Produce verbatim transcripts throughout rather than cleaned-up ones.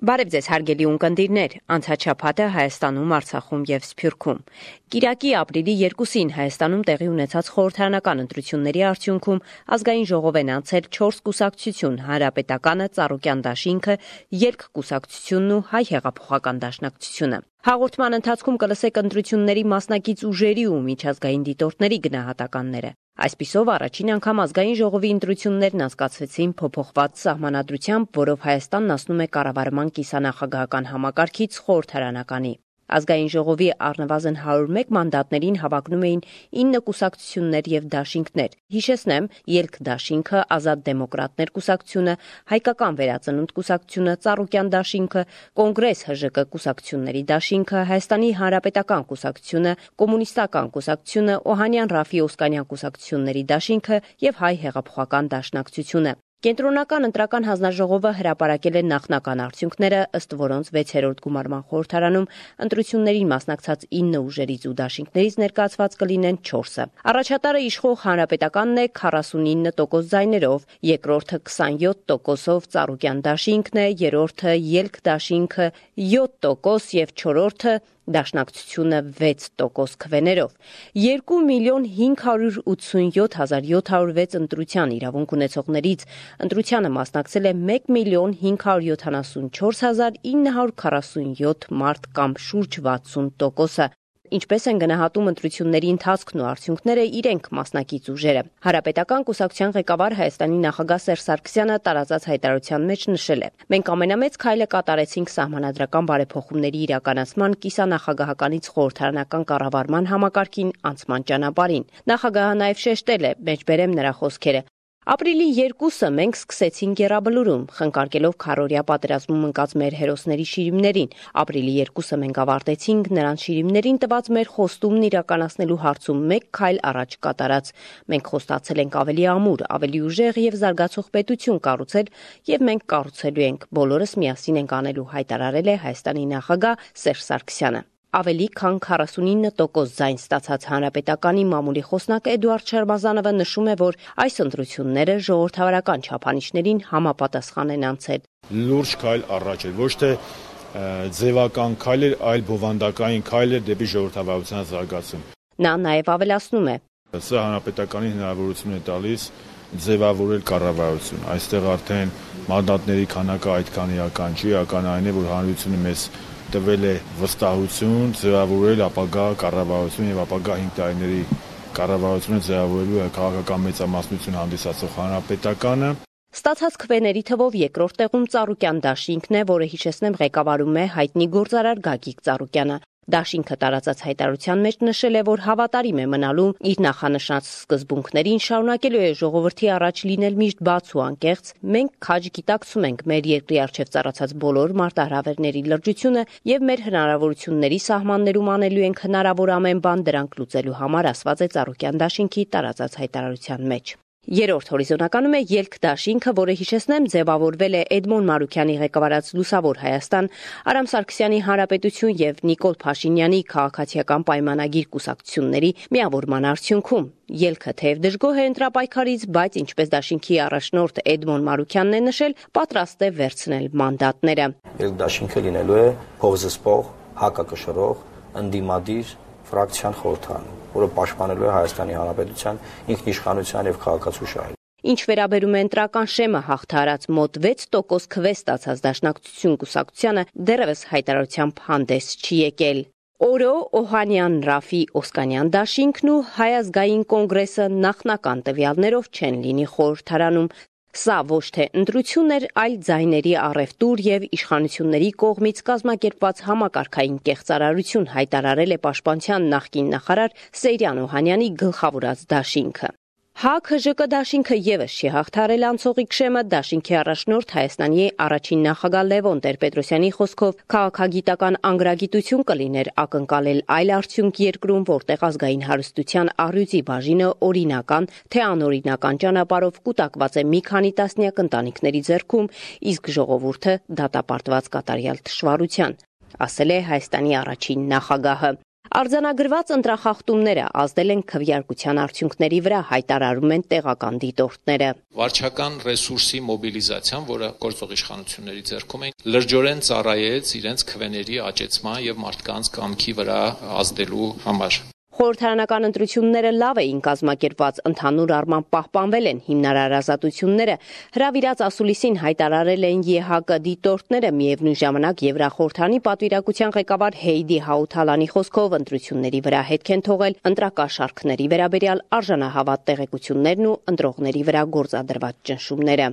Բարև ձեզ հարգելի ունկնդիրներ, անցած շաբաթը Հայաստանում, Արցախում և Սփյուռքում։ Կիրակի ապրիլի երկուսին Հայաստանում տեղի ունեցած խորհրդարանական ընտրությունների արդյունքում ազգային ժողով են անցել չորս կուսակցություն՝ Հանրապետականը, Ծառուկյան դաշինքը, Ելք կուսակցությունն ու Հայ հեղափոխական դաշնակցությունը։ Հաղորդման ընթացքում կլսեք ընտրությունների մասնակից ուժերի ու միջազգային դիտորդների գնահատականները։ Այսպիսով առաջին անգամ ազգային ժողովի ընտրություններն անցկացվեցին փոփոխված սահմանադրությամբ, որով Հայաստանն անցնում է կառավարման կիսանախագահական համակարգից խորհրդարանականի։ Ազգային ժողովի առնվազն հարյուր մեկ մանդատներին հավակնում էին ինը կուսակցություններ և դաշինքներ։ Հիշեցնեմ, Ելք դաշինքը, Ազատ դեմոկրատներ կուսակցությունը, Հայկական վերածնունդ կուսակցությունը, Ծառուկյան դաշինքը, Կոնգրես ՀԺԿ կուսակցությունների դաշինքը, Հայաստանի Հանրապետական կուսակցությունը, Կոմունիստական կուսակցությունը, Օհանյան Ռաֆի Օսկանյան կուսակցությունների դաշինքը և Հայ հեղափոխական դաշնակցությունը։ Կենտրոնական ընտրական հանձնաժողովը հրապարակել է նախնական արդյունքները, ըստ որոնց վեցերորդ գումարման խորհրդարանում ընտրություններին մասնակցած ինը ուժերից ու դաշինքներից ներկայացված կլինեն չորսը։ Առաջատարը իշխող Հանրապետականն է քառասունինը տոկոս ձայներով, երկրորդը քսանյոթ տոկոսով Ծառուկյան դաշինքն է, երրորդը Ելք դաշինքը յոթ տոկոս և չորրորդը Դաշնակցությունը վեց տոկոս քվեներով։ Երկու միլիոն հինգ հարյուր ութսունյոթ հազար յոթ հարյուր վեց ընտրության իրավունք ունեցողներից ընտրությանը մասնակցել է մեկ միլիոն հինգ հարյուր յոթանասունչորս հազար ինը հարյուր քառասունյոթ մարդ կամ շուրջ վաթսուն տոկոսը։ Ինչպես են գնահատում ընտրությունների ընթացքն ու արդյունքները իրենք մասնակից ուժերը։ Հանրապետական կուսակցության ղեկավար Հայաստանի նախագահ Սերժ Սարգսյանը տարածած հայտարարության մեջ նշել է. «Մենք ամենամեծ քայլը կատարեցինք սահմանադրական բարեփոխումների իրականացման կիսանախագահականից խորհրդարանական կառավարման համակարգին անցման ճանապարհին»։ Նախագահը նաև շեշտել է, մեջբերեմ նրա խոսքերը. «Ապրիլի երկուսը մենք սկսեցինք եռաբլուրում, խնկարկելով քառօրյա պատերազմում ընկած մեր հերոսների շիրիմներին։ Ապրիլի երկուսը մենք ավարտեցինք նրանց շիրիմներին տված մեր խոստումն իրականացնելու հարցում մեկ քայլ առաջ կատարած։ Մենք խոստացել ենք ավելի ամուր, ավելի ուժեղ և զարգացող պետություն կառուցել և մենք կառուցելու ենք։ Բոլորս միասին ենք անելու», հայտարարել է Հայաստանի նախագահ Սերժ Սարգսյանը։ Ավելի քան քառասունինը տոկոս ձայն ստացած Հանրապետականի մամուլի խոսնակ Էդուարդ Շարմազանովը նշում է, որ այս ընտրությունները ժողովրդավարական չափանիշներին համապատասխան են անցել։ Լուրջ քայլ առաջ էր, ոչ թե ձևական քայլ էր, այլ բովանդակային քայլ էր դեպի ժողովրդավարության զարգացում։ Նա նաև ավելացնում է. Սա Հանրապետականին հնարավորություն է տալիս ձևավորել կառավարություն։ Այստեղ արդեն մանդատների քանակը այդքան իրական չի, իրական այն է, որ հանրությունը մեզ տվել է վստահություն ձևավորել ապագա կառավարություն եւ ապագա հինգ տարիների կառավարությունը ձևավորելու քաղաքական մեծամասնություն հանդիսացող Հանրապետականը։ Ստացած քվեների թվով երկրորդ տեղում Ծառուկյան դաշինքն է, որը հիշեցնեմ ղեկավարում է հայտնի գործարար Գագիկ Ծառուկյանը։ Դաշինքը տարածած հայտարարության մեջ նշել է, որ հավատարիմ է մնալու իր նախանշած սկզբունքներին, շարունակելու է ժողովրդի առաջ լինել միշտ բաց ու անկեղծ։ Մենք քաջ գիտակցում ենք մեր երկրի առջև ծառացած բոլոր մարտահրավերների լրջությունը եւ մեր հնարավորությունների սահմաններում անելու ենք հնարավոր ամեն բան դրանք լուծելու համար, ասված է Ծառուկյան դաշինքի տարածած հայտարարության մեջ։ Երրորդ հորիզոնականում է Ելք դաշինքը, որը հիշեցնեմ ձևավորվել է Էդմոն Մարուքյանի ղեկավարած Լուսավոր Հայաստան, Արամ Սարգսյանի Հանրապետություն եւ Նիկոլ Փաշինյանի քաղաքացիական պայմանագիր կուսակցությունների միավորման արդյունքում։ Ելքը թեև դժգոհ է ընտրապայքարից, բայց ինչպես դաշինքի առաջնորդ Էդմոն Մարուքյանն է նշել, պատրաստ է վերցնել մանդատները։ Ելք դաշինքը լինելու է փողզսպող, հակակշռող, ընդդիմադիր ֆրակցիան խորհրդարանում, որը պաշտպանելու է Հայաստանի Հանրապետության ինքնիշխանության եւ քաղաքացու շահերը։ Ինչ վերաբերում է ընտրական շեմը հաղթահարած մոտ վեց տոկոս քվե ստացած Դաշնակցություն կուսակցությանը դեռևս հայտարարությամբ հանդես չի եկել։ Օրո Օհանյան Ռաֆի Օսկանյան դաշինքն ու Հայ ազգային կոնգրեսը նախնական տվյալներով չեն լինի խորհրդարանում։ Սա ոչ թե ընտրություն էր, այլ ձայների առևտուր եւ իշխանությունների կողմից կազմակերպված համակարգային կեղծարարություն, հայտարարել է Պաշտպանության նախկին նախարար Սեյրան Օհանյանի գլխավորած դաշինքը։ ՀԱԿ-ՀԺԿ դաշինքը եւս չի հաղթահարել անցողիկ շեմը։ Դաշինքի առաջնորդ Հայաստանի առաջին նախագահ Լևոն Տեր-Պետրոսյանի խոսքով քաղաքագիտական անգրագիտություն կլիներ ակնկալել այլ արդյունք երկրում, որտեղ ազգային հարստության առյուծի բաժինը օրինական, թե անօրինական ճանապարհով կուտակված է մի քանի տասնյակ ընտանիքների ձեռքում, իսկ ժողովուրդը դատապարտված կատարյալ թշվառության, ասել է Հայաստանի առաջին նախագահը։ Արձանագրված ընտրախախտումները ազդել են քվեարկության արդյունքների վրա, հայտարարում են տեղական դիտորդները։ Վարչական ռեսուրսի մոբիլիզացիան, որը գործող իշխանությունների ձեռքում է, լրջորեն ծառայեց իրենց քվեների աճեցման եւ մարդկանց կամքի վրա ազդելու համար։ Խորհրդարանական ընտրությունները լավ էին կազմակերպված, ընդհանուր առմամբ պահպանվել են հիմնարար ազատությունները, հրավիրած ասուլիսին հայտարարել են Է Հ Կ դիտորդները, միևնույն ժամանակ Եվրախորհրդանի պատվիրակության ղեկավար Հեյդի Հաութալանի խոսքով ընտրությունների վրա հետք են թողել ընտրակաշառքների վերաբերյալ արժանահավատ տեղեկություններն ու ընտրողների վրա գործադրված ճնշումները։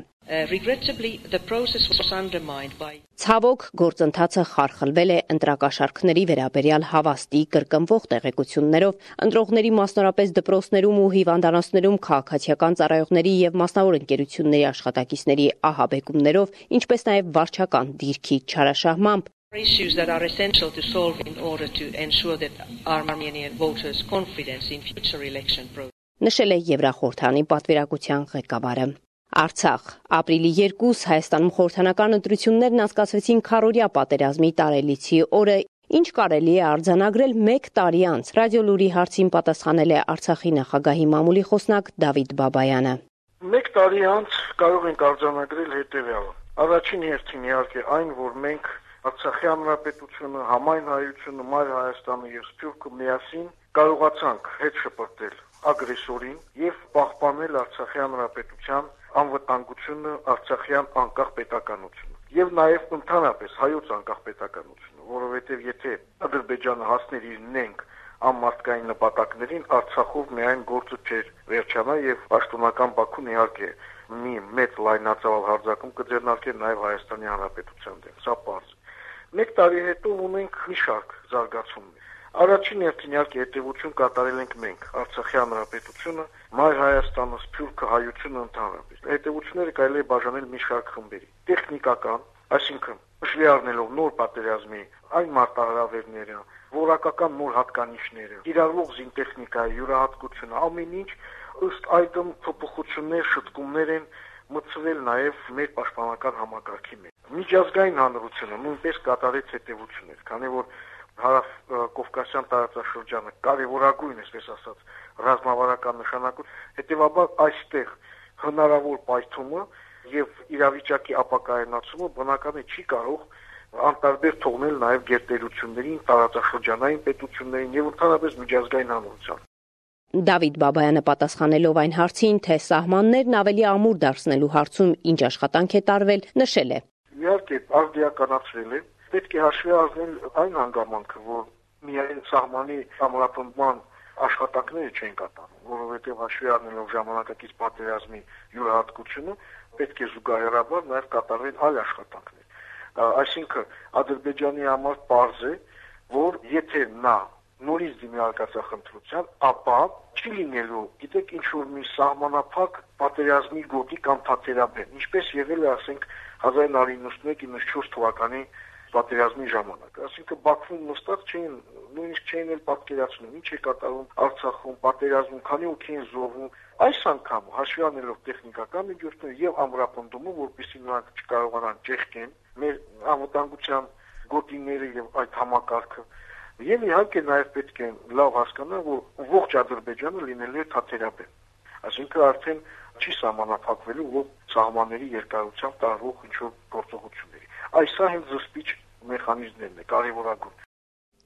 Ցավոք, գործընթացը խարխլվել է ընտրակաշառքների վերաբերյալ հավաստի կրկնվող տեղեկություններով, ընտրողների մասնավորապես դպրոցներում ու հիվանդանոցներում քաղաքացիական ծառայողների եւ մասնավոր ընկերությունների աշխատակիցների ահաբեկումներով, ինչպես նաեւ վարչական դիրքի չարաշահմամբ։ Issues that are essential to solve in order to ensure that Armenian voters' confidence in future election process. Նշել է Եվրախորհրդանի պատվիրակության ղեկավարը։ Արցախ ապրիլի երկուս Հայաստանում խորհրդանական ընտրություններն անցկացվեցին քառօրյա պատերազմի տարելիցի օրը, ինչ կարելի է արձանագրել մեկ տարի անց։ Ռադիոլուրի հարցին պատասխանել է Արցախի նախագահի մամուլի խոսնակ Դավիթ Բաբայանը։ Մեկ տարի անց կարող ենք արձանագրել հետևյալը։ Առաջին հերթին իհարկե այն, որ մենք Արցախի հանրապետությունը, համայն հայությունը, Մայր Հայաստանը եւ Սփյուռքը միասին կարողացանք հետ շպրտել ագրեսորին եւ պահպանել Արցախի հանրապետության անվտանգությունը, Արցախյան անկախ պետականությունը եւ նաեւ ընդհանրապես հայոց անկախ պետականությունը, որովհետեւ եթե Ադրբեջանը հասներ իր նենք անմարտկային նպատակներին, Արցախով միայն գործը չէր վերջանա եւ պաշտոնական Բաքուն իհարկե մի մեծ լայնածավալ հարձակում կձեռնարկեր նաեւ Հայաստանի հանրապետության դեմ, սա պարզ է։ Մեկ տարի հետո ունենք մի շարք զարգացումներ։ Առաջին հերթին իհարկե հետևություն կատարել ենք մենք, Արցախի հանրապետությունը, Մայր Հայաստանը, Սփյուռքը, հայությունը ընդհանրապես։ Հետևությունները կարելի է բաժանել մի շարք խմբերի։ Տեխնիկական, այսինքն հաշվի առնելով նոր պատերազմի այն մարտահրավերները, որակական նոր հատկանիշները, կիրառվող զինտեխնիկայի յուրահատկությունը, ամեն ինչ ըստ այդմ փոփոխություններ, շտկումներ են մտցվել նաև մեր պաշտպանական համակարգի մեջ։ Միջազգային հանրությունը նույնպես կատարեց հետևություններ, քանի որ Հարավ-Կովկասյան տարածաշրջանը կարևորագույն, այսպես ասած, ռազմավարական նշանակություն, հետևաբար այստեղ հնարավոր պայթումը եւ իրավիճակի ապակայունացումը բնական է չի կարող անտարբեր թողնել նաեւ գերտերություններին, տարածաշրջանային պետություններին եւ ընդհանրապես միջազգային հանրությանը։ Դավիթ Բաբայանը պատասխանելով այն հարցին, թե սահմաններն ավելի ամուր դարձնելու հարցում ինչ աշխատանք է տարվել, նշել է. Իհարկե, արդիականացրել է, պետք է հաշվի առնել այն հանգամանքը, որ միայն սահմանի ամրապնդման աշխատանքները չեն կատարվում, որովհետև հաշվի առնելով ժամանակակից պատերազմի յուրահատկությունը, պետք է զուգահեռաբար նաև կատարվեն այլ աշխատանքներ։ Այսինքն, Ադրբեջանի համար պարզ է, որ եթե նա նորից դիմի արկածախնդրության, ապա չի լինելու, գիտեք, ինչ-որ մի սահմանափակ պատերազմի գոտի կամ թատերաբեմ, ինչպես եղել է, ասենք, հազար նավը իննսունմեկ իննսունչորս թվականի պատերազմի ժամանակ։ Այսինքն Բաքվում նստած չէին, նույնիսկ չէին էլ պատկերացնում, ինչ է կատարվում Արցախում, պատերազմում, քանի օքի են զոհվում։ Այս անգամ հաշվի առնելով տեխնիկական միջոցները եւ ամրապնդումը, որպեսզի նրանք չկարողանան ճեղքեն մեր անվտանգության գոտիները եւ այդ համակարգը, եւ իհարկե նաեւ պետք է լավ հասկանալ, որ ողջ Ադրբեջանը լինելու է թատերաբեմ։ Այսինքն արդեն չի սահմանափակվելու ով սահմանների երկարությամբ տարվող ինչ-որ գործողությունների։ Այս սա հենց զսպիչ մեխանիզմներն է, կարևորագույն։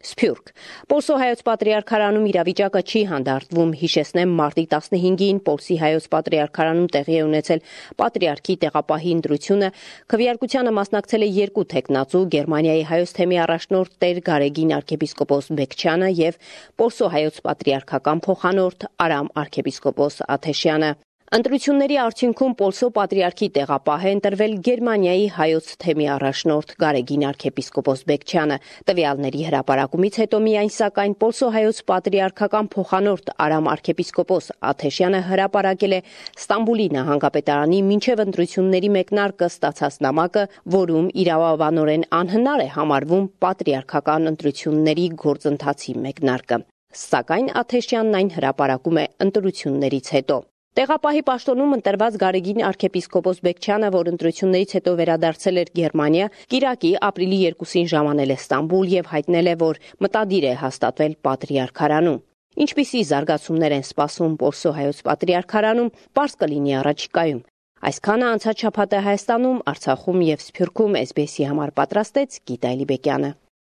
Սփյուռք Պոլսո հայոց պատրիարքարանում իրավիճակը չի հանդարտվում, հիշեցնեմ մարտի տասնհինգին Պոլսի հայոց պատրիարքարանում տեղի է ունեցել պատրիարքի տեղապահի ընտրությունը, քվեարկությանը մասնակցել է երկու թեկնածու, Գերմանիայի հայոց թեմի առաջնորդ Տեր Գարեգին arczepiskopos Բեկչյանը եւ Պոլսո հայոց պատրիարքական փոխանորդ Արամ arczepiskopos Աթեշյանը։ Ընտրությունների արդյունքում Պոլսո պատրիարքի տեղապահ է ընտրվել Գերմանիայի հայոց թեմի առաջնորդ Գարեգին arczepiskopos Բեկչյանը։ Տվյալների հրապարակումից հետո միայն սակայն Պոլսո հայոց պատրիարքական փոխանորդ Արամ arczepiskopos Աթեշյանը հրապարակել է Ստամբուլի նահանգապետարանի մինչև ընտրությունների մեկնարկը ստացած նամակը, որում իրավաբանորեն անհնար է համարվում պատրիարքական ընտրությունների գործընթացի մեկնարկը։ Սակայն Աթեշյանն այն հրապարակում է ընտրություններից հետո։ Տեղապահի պաշտոնում ընտրված Գարեգին arczepiskopos Բեկչյանը, որ ընտրություններից հետո վերադարձել էր Գերմանիա, կիրակի ապրիլի երկուսին ժամանել է Ստամբուլ եւ հայտնել է, որ մտադիր է հաստատվել Պատրիարքարանում։ Ինչպիսի զարգացումներ են սպասում Պորսո հայոց Պատրիարքարանում, պարզ կլինի առաջիկայում։ Այսքանը անցած շաբաթը Հայաստանում, Արցախում եւ Սփյուռքում էս բի էսի համար պատրաստեց Գիտա Էլիբեկյանը։